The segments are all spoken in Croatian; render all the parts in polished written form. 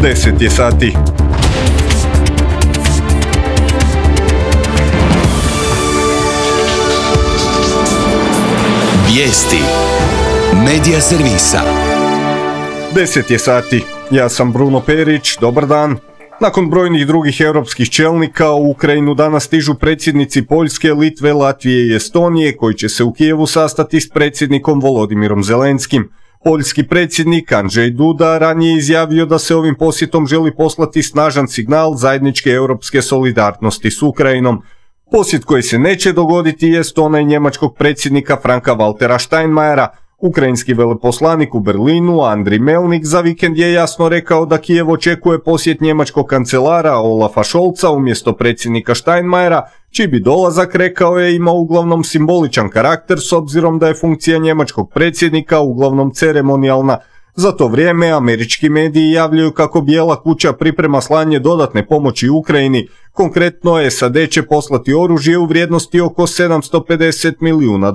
10 je sati. Vijesti Medija servisa. 10 je sati. Ja sam Bruno Perić, dobar dan. Nakon brojnih drugih europskih čelnika u Ukrajinu danas stižu predsjednici Poljske, Litve, Latvije i Estonije koji će se u Kijevu sastati s predsjednikom Volodimirom Zelenskim. Poljski predsjednik Andrzej Duda ranije izjavio da se ovim posjetom želi poslati snažan signal zajedničke europske solidarnosti s Ukrajinom. Posjet koji se neće dogoditi jest onaj njemačkog predsjednika Franka-Waltera Steinmeiera. Ukrajinski veleposlanik u Berlinu, Andriy Melnik, za vikend je jasno rekao da Kijev očekuje posjet njemačkog kancelara Olafa Scholza umjesto predsjednika Steinmeiera, čiji bi dolazak, rekao je, imao uglavnom simboličan karakter s obzirom da je funkcija njemačkog predsjednika uglavnom ceremonijalna. Za to vrijeme američki mediji javljaju kako Bijela kuća priprema slanje dodatne pomoći Ukrajini. Konkretno, SAD će poslati oružje u vrijednosti oko $750 milijuna.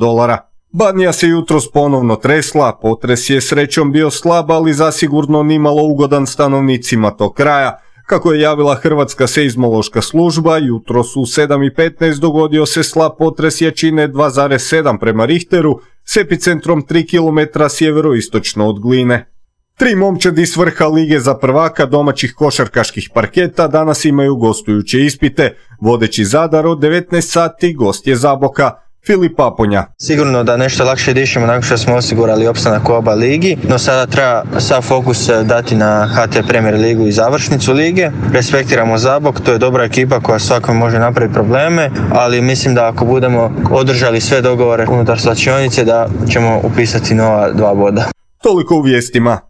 Banija se jutros ponovno tresla, potres je srećom bio slab, ali zasigurno nimalo ugodan stanovnicima tog kraja. Kako je javila Hrvatska seizmološka služba, jutros u 7:15 dogodio se slab potres jačine 2,7 prema Richteru s epicentrom 3 km sjeveroistočno od Gline. 3 momčadi s vrha Lige za prvaka domaćih košarkaških parketa danas imaju gostujuće ispite. Vodeći Zadar od 19 sati, gost je Zaboka. Filip Aponja. Sigurno da nešto lakše dišemo nakon što smo osigurali opstanak u oba ligi, no sada treba sav fokus dati na HT Premier ligu i završnicu lige. Respektiramo Zabok, to je dobra ekipa koja svakome može napraviti probleme, ali mislim da ako budemo održali sve dogovore unutar slačionice da ćemo upisati nova 2 boda. Toliko u vijestima.